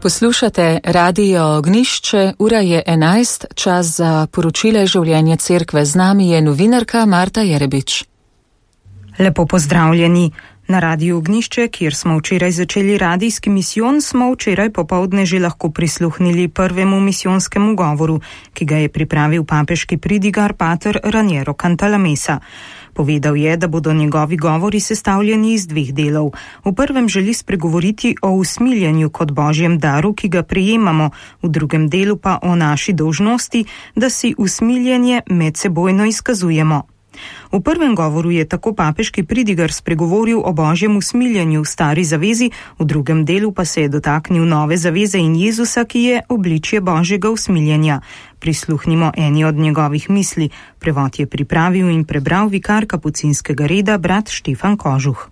Poslušate Radio Ognjišče, ura je 11, čas za poročile življenja cerkve. Z nami je novinarka Marta Jerebič. Lepo pozdravljeni. Na Radiu Ognjišče, kjer smo včeraj začeli radijski misijon, smo včeraj popoldne že lahko prisluhnili prvemu misijonskemu govoru, ki ga je pripravil papeški pridigar pater Raniero Cantalamessa. Povedal je, da bodo njegovi govori sestavljeni iz dveh delov. V prvem želi spregovoriti o usmiljenju kot božjem daru, ki ga prejemamo, v drugem delu pa o naši dolžnosti, da si usmiljenje medsebojno izkazujemo. V prvem govoru je tako papeški pridigar spregovoril o božjem usmiljenju v stari zavezi, v drugem delu pa se je dotaknil nove zaveze in Jezusa, ki je obličje božjega usmiljenja. Prisluhnimo eni od njegovih misli. Prevod je pripravil in prebral vikar kapucinskega reda brat Štefan Kožuh.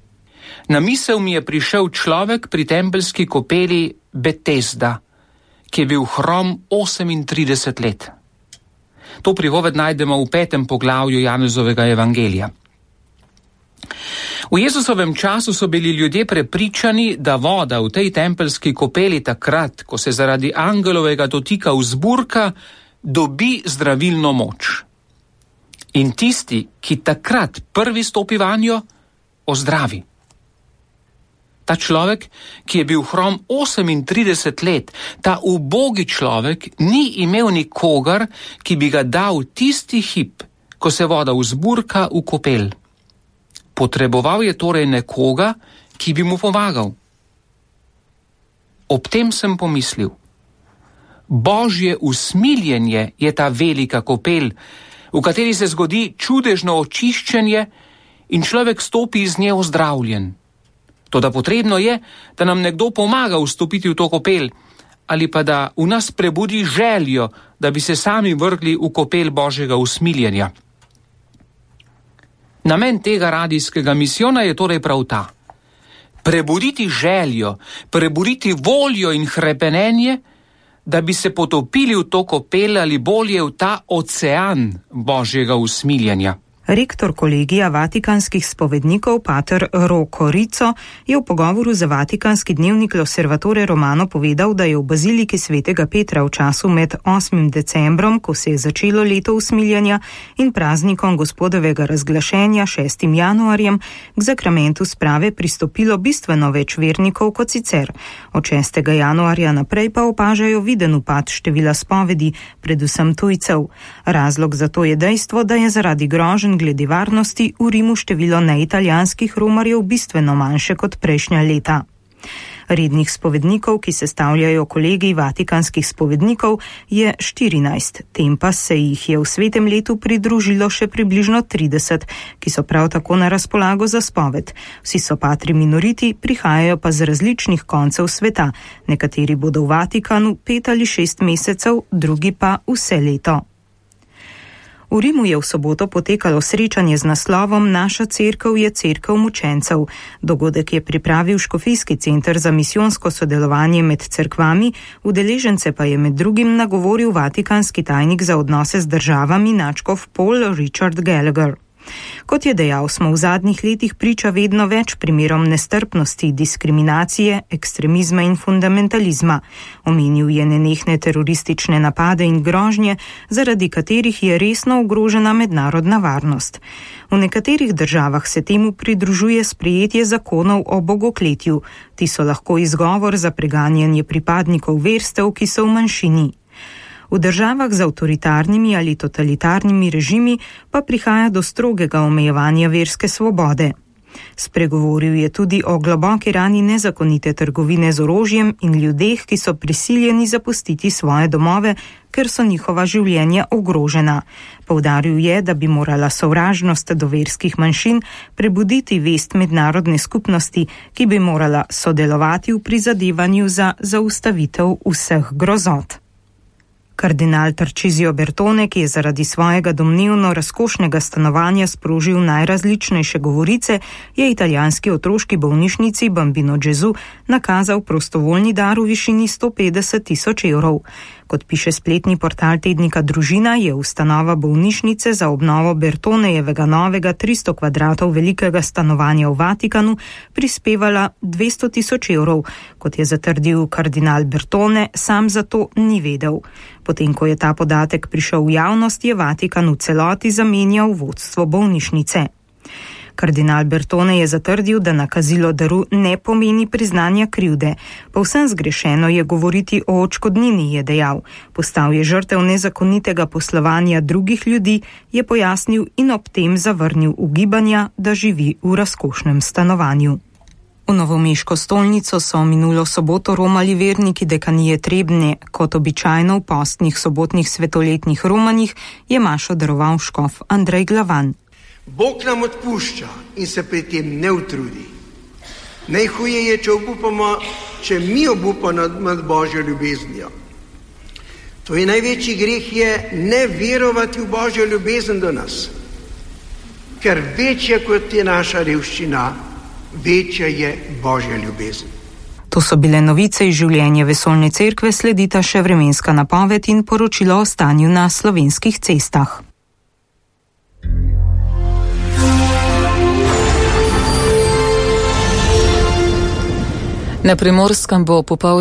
Na misel mi je prišel človek pri tempeljski kopeli Betesda, ki je bil hrom 38 let. To pripoved najdemo v 5. poglavju Janezovega evangelija. V Jezusovem času so bili ljudje prepričani, da voda v tej tempeljski kopeli takrat, ko se zaradi angelovega dotika vzburka, dobi zdravilno moč. In tisti, ki takrat prvi stopi vanjo, ozdravi. Ta človek, ki je bil hrom 38 let, ta ubogi človek, ni imel nikogar, ki bi ga dal tisti hip, ko se voda vzburka v kopel. Potreboval je torej nekoga, ki bi mu pomagal. Ob tem sem pomislil, božje usmiljenje je ta velika kopel, v kateri se zgodi čudežno očiščenje in človek stopi iz nje ozdravljen. Toda potrebno je, da nam nekdo pomaga vstopiti v to kopel, ali pa da v nas prebudi željo, da bi se sami vrgli v kopel božjega usmiljenja. Namen tega radijskega misijona je torej prav ta. Prebuditi željo, prebuditi voljo in hrepenenje, da bi se potopili v to kopel ali bolje v ta ocean božjega usmiljenja. Rektor kolegija vatikanskih spovednikov pater Rocco Rizzo je v pogovoru za vatikanski dnevnik L'Osservatore Romano povedal, da je v baziliki svetega Petra v času med 8. decembrom, ko se je začelo leto usmiljenja, in praznikom gospodovega razglašenja 6. januarjem k zakramentu sprave pristopilo bistveno več vernikov kot sicer. Od 6. januarja naprej pa opažajo viden upad števila spovedi, predvsem tujcev. Razlog za to je dejstvo, da je zaradi groženj glede varnosti v Rimu število neitalijanskih romarjev bistveno manjše kot prejšnja leta. Rednih spovednikov, ki sestavljajo kolegij vatikanskih spovednikov, je 14, tem pa se jih je v svetem letu pridružilo še približno 30, ki so prav tako na razpolago za spoved. Vsi so patri minoriti, prihajajo pa z različnih koncev sveta. Nekateri bodo v Vatikanu 5 ali 6 mesecev, drugi pa vse leto. V Rimu je v soboto potekalo srečanje z naslovom Naša cerkev je cerkev mučencev. Dogodek je pripravil Škofijski center za misijonsko sodelovanje med cerkvami, udeležence pa je med drugim nagovoril vatikanski tajnik za odnose z državami nadškof Paul Richard Gallagher. Kot je dejal, smo v zadnjih letih priča vedno več primerom nestrpnosti, diskriminacije, ekstremizma in fundamentalizma. Omenil je nenehne teroristične napade in grožnje, zaradi katerih je resno ogrožena mednarodna varnost. V nekaterih državah se temu pridružuje sprejetje zakonov o bogokletju. Ti so lahko izgovor za preganjanje pripadnikov verstev, ki so v manjšini. V državah z avtoritarnimi ali totalitarnimi režimi pa prihaja do strogega omejevanja verske svobode. Spregovoril je tudi o globoki rani nezakonite trgovine z orožjem in ljudeh, ki so prisiljeni zapustiti svoje domove, ker so njihova življenja ogrožena. Poudaril je, da bi morala sovražnost do verskih manjšin prebuditi vest mednarodne skupnosti, ki bi morala sodelovati v prizadevanju za zaustavitev vseh grozot. Kardinal Tarcisio Bertone, ki je zaradi svojega domnevno razkošnega stanovanja sprožil najrazličnejše govorice, je italijanski otroški bolnišnici Bambino Gesù nakazal prostovoljni dar v višini 150 000 evrov. Kot piše spletni portal tednika Družina, je ustanova bolnišnice za obnovo Bertonejevega novega 300 kvadratov velikega stanovanja v Vatikanu prispevala 200 000 evrov. Kot je zatrdil kardinal Bertone, sam za to ni vedel. Potem, ko je ta podatek prišel v javnost, je Vatikan v celoti zamenjal vodstvo bolnišnice. Kardinal Bertone je zatrdil, da nakazilo daru ne pomeni priznanja krivde. Povsem zgrešeno je govoriti o odškodnini, je dejal. Postal je žrtev nezakonitega poslovanja drugih ljudi, je pojasnil in ob tem zavrnil ugibanja, da živi v razkošnem stanovanju. V novomeško stolnico so minulo soboto romali verniki dekanije Trebnje. Kot običajno v postnih sobotnih svetoletnih romanjih je mašo daroval škof Andrej Glavan. Bog nam odpušča in se pri tem ne utrudi. Najhuje je, če mi obupamo nad Božjo ljubeznijo. To je največji greh, je ne verovati v Božjo ljubezen do nas. Ker večja kot je naša revščina, večja je Božja ljubezen. To so bile novice iz življenja vesoljne cerkve, sledita še vremenska napoved in poročilo o stanju na slovenskih cestah. Na Primorskem bo popoldne